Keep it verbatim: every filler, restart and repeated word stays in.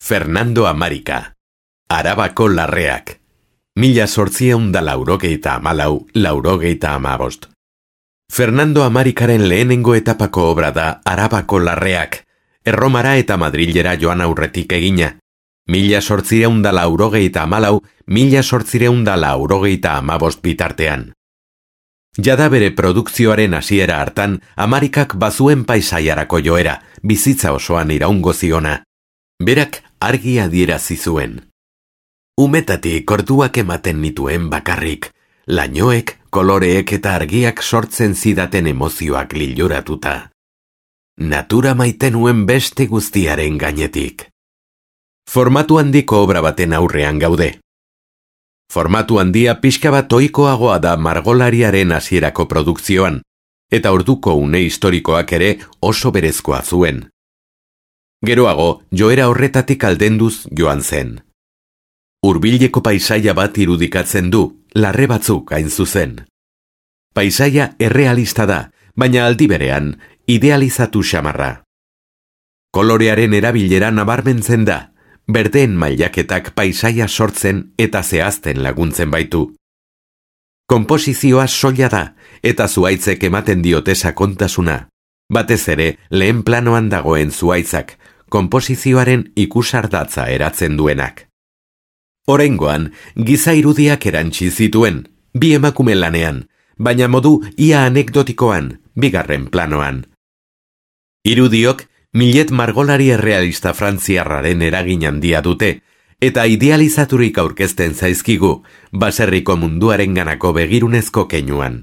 Fernando Amarika, Arabako larreak, mila zortziehun da laurogeita hamalau, laurogeita hamabost. Fernando Amarikaren lehenengo etapako obra da Arabako larreak, Erromara eta Madrilera joan aurretik egina, mila zortziehun da laurogeita hamalau, mila zortziehun da laurogeita hamabost bitartean. Jada bere produkzioaren hasiera hartan, Amarikak bazuen paisaiarako joera, bizitza osoan iraungo ziona. Berak argi adierazi zuen. Umetatik orduak ematen nituen bakarrik, lainoek, koloreek eta argiak sortzen zidaten emozioak liluratuta. Natura maite nuen beste guztiaren gainetik. Formatu handiko obra baten aurrean gaude. Formatu handia pixka bat ohikoagoa da margolariaren hasierako produkzioan, eta orduko une historikoak ere oso berezkoa zuen. Geroago, joera horretatik aldenduz joan zen. Hurbileko paisaia bat irudikatzen du, larre batzuk hain zuzen. Paisaia errealista da, baina aldi berean, idealizatu xamarra. Kolorearen erabilera nabarmentzen da, berdeen mailaketak paisaia sortzen eta zehazten laguntzen baitu. Konposizioa soila da, eta zuhaitzek ematen diote sakontasuna. Batez ere, lehen planoan dagoen zuhaitzak, konposizioaren ikusardatza eratzen duenak. Oraingoan, giza irudiak erantsi zituen, bi emakume lanean, baina modu ia anekdotikoan, bigarren planoan. Irudiok, Millet margolari errealista frantziarraren eragin handia dute, eta idealizaturik aurkezten zaizkigu, baserriko munduaren ganako begirunezko keinuan.